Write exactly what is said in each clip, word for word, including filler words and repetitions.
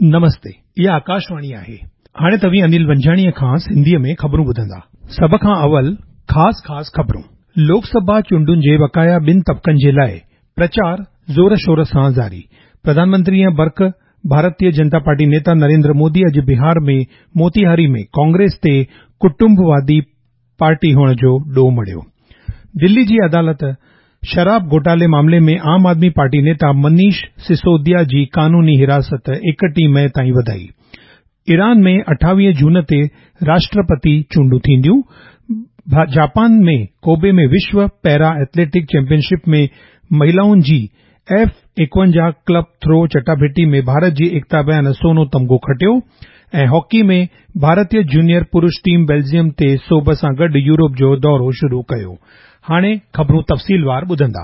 نمستي، اها آڪاشواڻي آهي. هاڻي توهين انيل ونجاڻيءَ کان سنڌيءَ ۾ خبرون ٻڌندا. سڀ کان اول خاص خاص خبرون. لوڪ سڀا چونڊن جي بقايا ٻن طبقن جي لاءِ پرچار زور شور سان جاري. پرڌان منتري ۽ برک ڀارتيه جنتا پارٽي نيتا نريندر مودي اڄ بهار ۾ موتيهاري ۾ ڪانگريس تي ڪٽنبوادي پارٽي هئڻ جو ڏوهه مڙهيو. دلي جي عدالت شراب گهوٽالي معاملي ۾ عام آدمي پارٽي نيتا منيش سسوديا جي قانوني حراست ايڪٽيهه مئي تائين وڌائي. ايران ۾ اٺاويهه جون تي راشٽرپتي چونڊون ٿينديون. جاپان ۾ ڪوبي ۾ وشو پيرا ايٿليٽڪ چيمپئن شپ ۾ مهلائن جي ايف ايڪونجاهه ڪلب ٿرو چٽاڀيٽي ۾ ڀارت جي ايڪتا بيان سونو تمغو کٽيو ۽ هاڪي ۾ ڀارتيه جونيئر پرش ٽيم بيلجيم تي سوڀ سان گڏ يورپ جو دورو شروع ڪيو. هاڻي خبرون تفصيلوار ٻڌندا.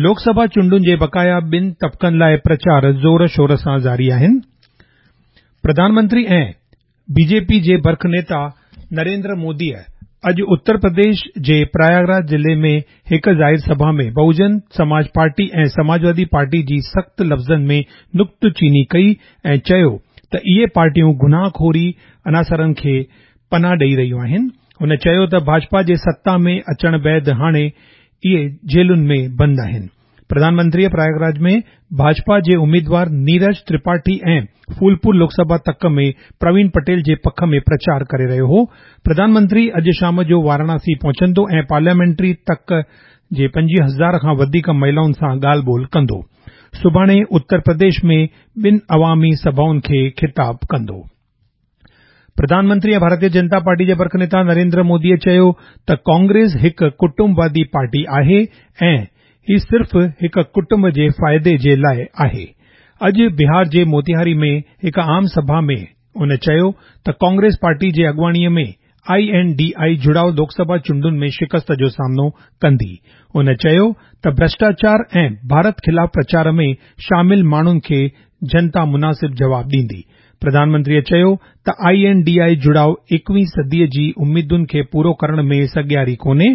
لوڪ سڀا چونڊن جي بقايا ٻن طبقن لاءِ پرچار زور شور سان جاري آهن. پرڌان منتري ۽ بي جي پي جي برک نيتا نريندر موديءَ اڄ اتر پرديش جي پرياگراج ضلعي ۾ هڪ ظاهر سڀا ۾ بهوجن سماج پارٽي ۽ سماجوادي پارٽي جي سخت لفظن ۾ نڪته چيني ڪئي ۽ چيو ته اهي پارٽيون گناهخوري عناصرن کي پناهه ڏئي رهيون آهن. هن چيو ته ڀاجپا جي ستا ۾ اچڻ بعد هاڻي اهي جيلن ۾ بند آهن. پرڌان منتريءَ پرياگراج ۾ ڀاجپا جي اميدوار نيرج ترپاٺي ۽ ڦولپور لوڪ سڀا تڪ ۾ پروين پٽيل جي پک ۾ پرچار ڪري رهيو هو. پرڌان منتري اڄ شام جو وارانسي پهچندو ۽ پارليامينٽري تڪ جي پنجويهه هزار کان وڌيڪ مهلائن سان ڳالهه ٻولهه ڪندو. سڀاڻي اتر پرديش ۾ ٻن عوامي سڀائن کي خطاب ڪندو. پرڌان منتري ۽ ڀارتيه جنتا پارٽي جي برک نيتا نريندر موديءَ چيو ته ڪانگريس هڪ ڪٽنبوادي پارٽي آهي ۽ هي صرف هڪ ڪٽنب جي فائدي جي لاءِ آهي. اڄ بهار جي موتيهاري ۾ هڪ عام سڀا ۾ هن چيو ته ڪانگريس پارٽي جي اڳواڻيءَ ۾ I N D I جڙاءُ لوڪ سڀا چونڊن ۾ شڪست جو سامنو ڪندي. هن چيو ته ڀرشٽاچار ۽ ڀارت خلاف پرچار ۾ شامل ماڻهن کي جنتا مناسب جواب ڏيندي. پرڌان منتريءَ چيو ته I N D I جڙاءُ ايڪويهين صديءَ جي اميدن کي پورو ڪرڻ ۾ سگهياري ڪونهي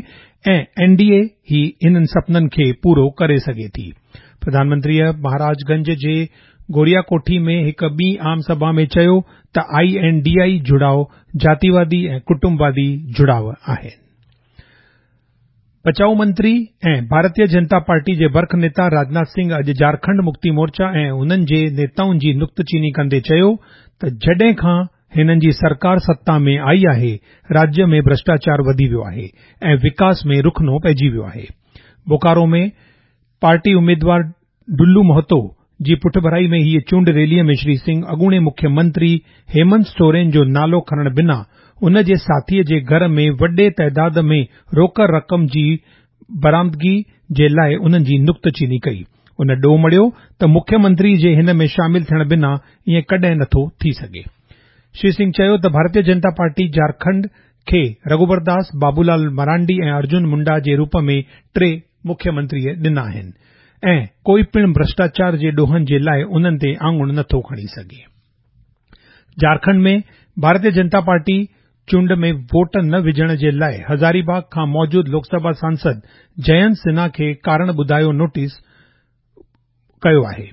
۽ اين ڊي اي ئي انهن سپنن کي پورو ڪري سگهي ٿي. پرڌان منتريءَ مهاراج گنج جي گورياڪوٺي ۾ هڪ ٻي عام سڀا ۾ چيو ته I N D I جڙاءُ جاتيوادي ۽ ڪٽنبوادي جڙاءُ آهن. بچاءُ منتري ۽ ڀارتيه جنتا پارٽي جي برک نيتا راجناٿ سنگهه اڄ جهارکنڊ مڪتي مورچا ۽ انهن جي نيتائن جي نڪته چيني ڪندي چيو ته جڏهن کان هنن جي سرڪار ستا ۾ آئي آهي، راجيه ۾ ڀرشٽاچار وڌي ويو آهي ۽ وڪاس ۾ رخنو پئجي ويو آهي. بوڪارو ۾ پارٽي اميدوار ڊلو مهتو جي پٺڀرائي ۾ هيءَ چونڊ ريليءَ ۾ شري سنگهه اڳوڻي مکيه منتري هيمنت سورين جو نالو کڻڻ بنا ان جي ساٿيءَ جي گهر ۾ وڏي تعداد ۾ روڪ رقم جي برآمدگي جي لاءِ انهن جي نڪته چيني ڪئي. ان ڏوهه مڙهيو ته مکيه منتري جي هن ۾ شامل ٿيڻ بنا ائين ڪڏهن نٿو ٿي سگهي. شري سنگهه چيو ته ڀارتيه جنتا پارٽي جهارکنڊ کي رگهوبر داس، بابولال مرانڊي ۽ ارجن منڊا جي روپ ۾ ٽي مکيه منتري ڏنا آهن ۽ ڪوئي پڻ ڀرشٽاچار جي ڏوهن جي لاءِ انهن تي آڱر نٿو کڻي سگهي. جهارکنڊ ۾ ڀارتيه جنتا پارٽي چونڊ ۾ ووٽ نه وجهڻ جي لاءِ هزاري باغ کان موجود لوڪ سڀا سانسد جينت سنها کي ڪارڻ ٻڌايو نوٽيس ڪيو آهي.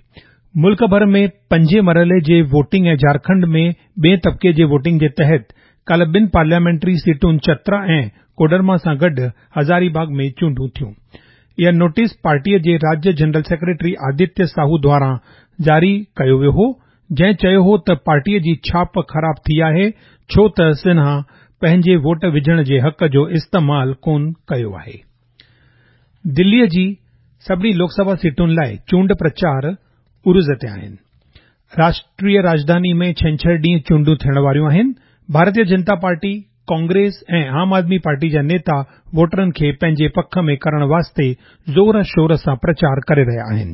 ملڪ ڀر ۾ پنجين مرحلي جي ووٽنگ ۽ جهارکنڊ ۾ ٻئين طبقي جي ووٽنگ جي تحت ڪالهه ٻن پارليامينٽري سيٽن چترا ۽ ڪوڊرما سان گڏ هزاري باغ ۾ چونڊون ٿيون. اها نوٽيس پارٽيءَ جي راجيه جنرل سيڪريٽري آدتيه ساهو دواران جاري ڪيو ويو هو، جنهن چيو هو ته پارٽيءَ جي ڇاپ خراب ٿي آهي ڇو ته سنها پنهنجي ووٽ وجهڻ جي حق جو استعمال ڪونه ڪيو آهي. دليءَ جي سڀني لوڪ سڀا سيٽن لاءِ چونڊ پرچار عروج تي آهن. راشٽريه راڄڌاني ۾ ڇنڇر ڏينهن چونڊون ٿيڻ واريون آهن. ڀارتيه جنتا پارٽي، ڪانگريس ۽ عام آدمي پارٽي جا نيتا ووٽرن کي پنهنجي پک ۾ ڪرڻ واسطي زور شور سان پرچار ڪري رهيا آهن.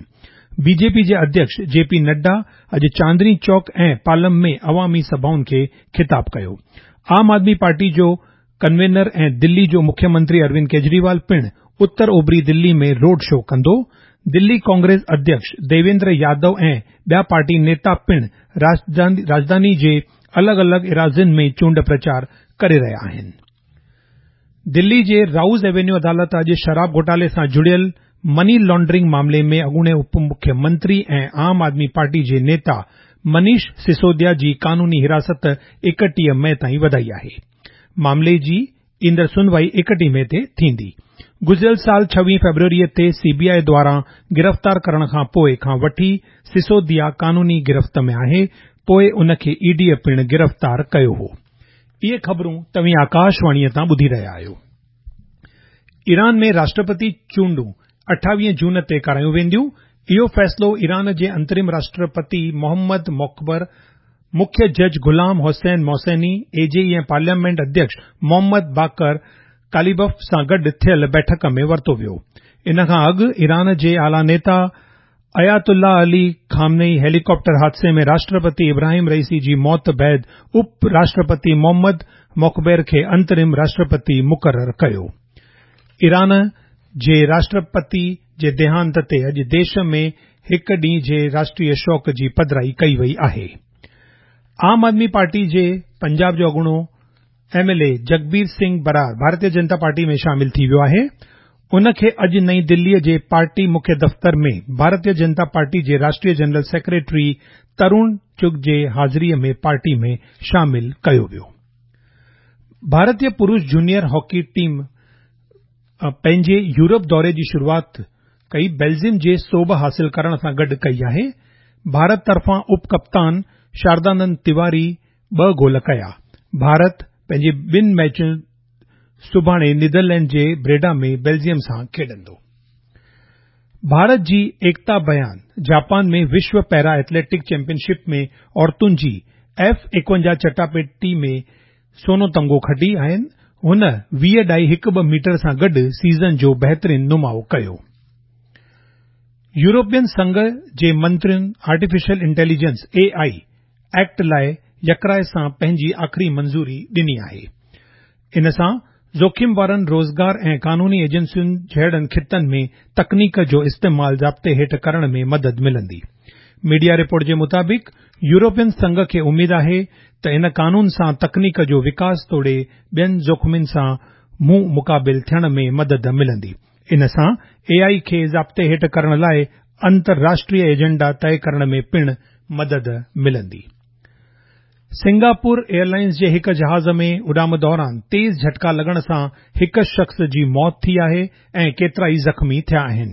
بي جي پي جي اڌيڪش جي پي نڊا اڄ چاندني چوڪ ۽ پالم ۾ عوامي سڀائن کي خطاب ڪيو. عام آدمي پارٽي جو ڪنوينر ۽ دلي جو مکيه منتري اروند ڪيجريوال پڻ اتر اوڀري دلي ۾ روڊ شو ڪندو. دلي ڪانگريس اڌيڪش ديويندر يادو ۽ ٻيا پارٽي نيتا پڻ راڄڌاني جي الڳ الڳ ايراضين ۾ چونڊ پرچار ڪري رهيا آهن. دلي جي رائوز ايونيو عدالت اڄ شراب گهوٽالي سان جڙيل مني لانڊرنگ معاملي ۾ اڳوڻي اپ مکيه منتري ۽ عام آدمي پارٽي جي نيتا منيش سسوديا جي قانوني حراست ايڪٽيهه مئي تائين وڌائي آهي. معاملي جي ايندڙ سنوائي ايڪٽيهه مئي تي ٿيندي. گذريل سال ڇويهه فيبروري تي سي بي آء دواران گرفتار ڪرڻ کان پوءِ کان وٺي سسوديا قانوني گرفت ۾ آهي، پوءِ ان کي اي ڊي پڻ گرفتار ڪيو هو. اهي خبرون توهين آڪاشواڻيءَ تان ٻڌي رهيا آهيو. ايران ۾ راشٽرپتي چونڊون اٺاويهه جون تي ڪرايون وينديون. اهو فيصلو ايران جي انترم راشٽرپتي محمد موخبر، مکيه جج غلام حسين موسيني ايجي ۽ پارليامينٽ اڌيڪش محمد باقر قاليباف سان گڏ ٿيل بيٺڪ ۾ ورتو ويو. ان کان اڳ ايران جي اعليٰ نيتا آيت الله علي خامنئي هيليڪاپٽر حادثي ۾ راشٽرپتي ابراهيم رئيسي جي موت بعد اپ راشٽرپتي محمد موخبر کي انترم راشٽرپتي مقرر ڪيو. ايران جي راشٽرپتي جي ديهانت تي اڄ ديش ۾ هڪ ڏينهن جي راشٽريه شوڪ جي پڌرائي ڪئي وئي آهي. عام آدمي پارٽي جي پنجاب جو اڳوڻو M L A Jagbir Singh Brar Bharatiya Janata party ۾ شامل ٿي ويو آهي. ان کي اڄ نئين دليءَ جي پارٽي مکيه دفتر ۾ ڀارتيه جنتا پارٽي جي راشٽريه جنرل سيڪريٽري ترون چگ جي حاضريءَ ۾ پارٽي ۾ شامل ڪيو ويو. ڀارتيه پرش جونيئر هاڪي ٽيم پنهنجي يورپ دوري جي شروعات ڪئي بيلجيم جي سوڀ حاصل ڪرڻ سان گڏ ڪئي آهي. ڀارت طرفان اپ ڪپتان شاردانند تيواري ٻه گول ڪيا. ڀارت پنهنجي ٻن ميچن سڀاڻي نيدرلينڊ جي بريڊا ۾ بيلجيم سان کيڏندو. ڀارت جي ايڪتا بيان جاپان ۾ وشو پيرا ايٿليٽڪ چيمپئن شپ ۾ عورتن جي ايف ايڪونجاهه چٽاپيٽي ۾ سونو تمغو کٽي آهن. هن ويهه ڏهائي هڪ ٻه ميٽر سان گڏ سيزن جو بهترين نماءُ ڪيو. يورپين سنگهه جي منترين artificial intelligence A I act لاءِ يڪراءِ سان پنهنجي آخري منظوري ڏني آهي. ان سان جوکم وارن روزگار ۽ قانوني ايجنسين جهڙن خطن ۾ تڪنيڪ جو استعمال ضابطي هيٺ ڪرڻ ۾ مدد ملندي. ميڊيا رپورٽ جي مطابق يورپين سنگهه کي اميد آهي ته ان قانون سان تڪنيڪ جو وڪاس توڙي ٻين جوکمن سان منهن مقابل ٿيڻ ۾ مدد ملندي. ان سان اي آءِ کي ضابطي هيٺ ڪرڻ لاءِ انترراشٽريه ايجنڊا طئي ڪرڻ ۾ پڻ مدد ملندي. سنگاپور ايئرلائنز جي هڪ جهاز ۾ اڏام دوران تيز جهٽڪا لڳڻ سان هڪ شخص جي موت ٿي آهي ۽ ڪيترائي زخمي ٿيا آهن.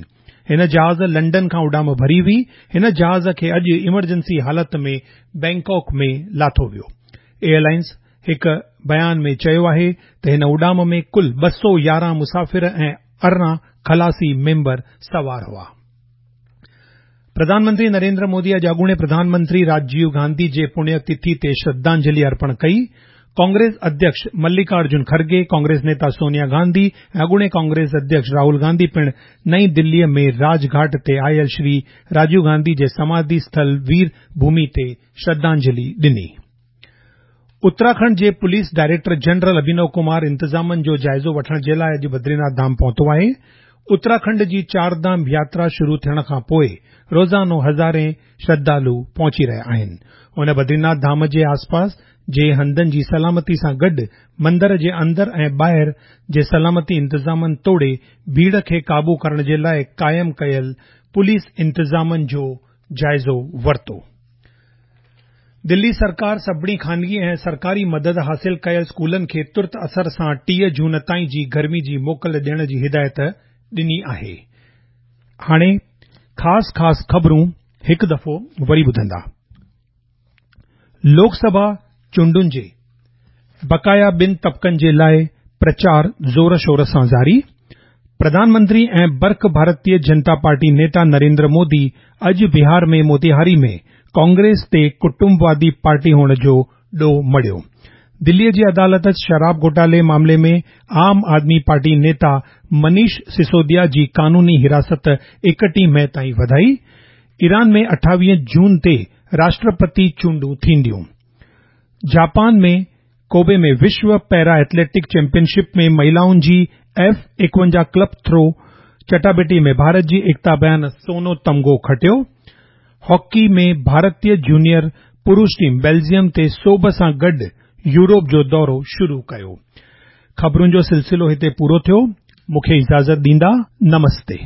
هن جهاز لنڊن کان اڏام ڀري هئي. هن جهاز کي اڄ ايمرجنسي حالت ۾ بينڪاڪ ۾ لاٿو ويو. ايئرلائنز هڪ بيان ۾ چيو آهي ته هن اڏام ۾ ڪل ٻه سؤ يارهن مسافر ۽ ارڙهن خلاصي ميمبر سوار هئا. پرڌان منتري نريندر مودي اڄ اڳوڻي پرڌان منتري راجيو گانڌي جي پڻيه تٿي تي شرڌانجلي ارپڻ ڪئي. ڪانگريس اڌيڪش ملڪارجن کرگي، ڪانگريس نيتا سونيا گانڌي ۽ اڳوڻي ڪانگريس اڌيڪش راهول گانڌي پڻ نئين دليءَ ۾ راجگهاٽ تي آيل شري راجيو گانڌي جي سماڌي اسٿل وير ڀومي تي شرڌانجلي ڏني. اتراکنڊ جي police director general Abhinav Kumar انتظامن جو جائزو وٺڻ جي لاءِ اڄ بدريناٿ ڌام پهتو آهي. اتراکنڊ جي چار ڌام ياترا شروع ٿيڻ کان پوءِ روزانو هزارين شرڌالو پهچي رهيا آهن. هن بدريناٿ ڌام جي آسپاس جي هنڌن جي سلامتي سان گڏ مندر جي اندر ۽ ٻاهر جي سلامتي انتظامن توڙي ڀيڙ کي قابو ڪرڻ جي لاءِ قائم ڪيل پوليس انتظامن جو جائزو ورتو. دلي سرڪار سڀني خانگي ۽ سرڪاري مدد حاصل ڪيل اسڪولن کي ترت اثر سان ٽيهه جون تائين جي گرمي جي موڪل ڏيڻ جي هدايت ڏني آهي. هاڻي خاص خاص خبرون هڪ دفعو وري ٻڌندا. لوڪ سڀا چونڊن جي بقايا ٻن طبقن جي لاءِ پرچار زور شور سان جاري. پرڌان منتري ۽ برک ڀارتيه جنتا پارٽي نيتا نريندر مودي اڄ بهار ۾ موتيهاري ۾ ڪانگريس تي ڪٽنبوادي پارٽي هئڻ جو ڏوهه مڙهيو. دليءَ جي عدالت شراب گهوٽالي معاملي ۾ عام آدمي پارٽي نيتا منيش سسوديا جي قانوني حراست ايڪٽيهه مئي تائين وڌائي. ايران ۾ اٺاويهه جون تي راشٽرپتي چونڊون ٿينديون. جاپان ۾ ڪوبي ۾ وشو پيرا ايٿليٽڪ چيمپئن شپ ۾ مهلائن جي ايف ايڪونجاهه ڪلب ٿرو چٽاڀيٽي ۾ ڀارت جي ايڪتا بيان سونو تمغو کٽيو. هاڪي ۾ ڀارتيه جونيئر پرش ٽيم بيلجيم تي سوڀ سان گڏ يورپ جو دورو شروع ڪيو. خبرن جو سلسلو هتي پورو ٿيو. مون کي اجازت ڏيندا. نمستي.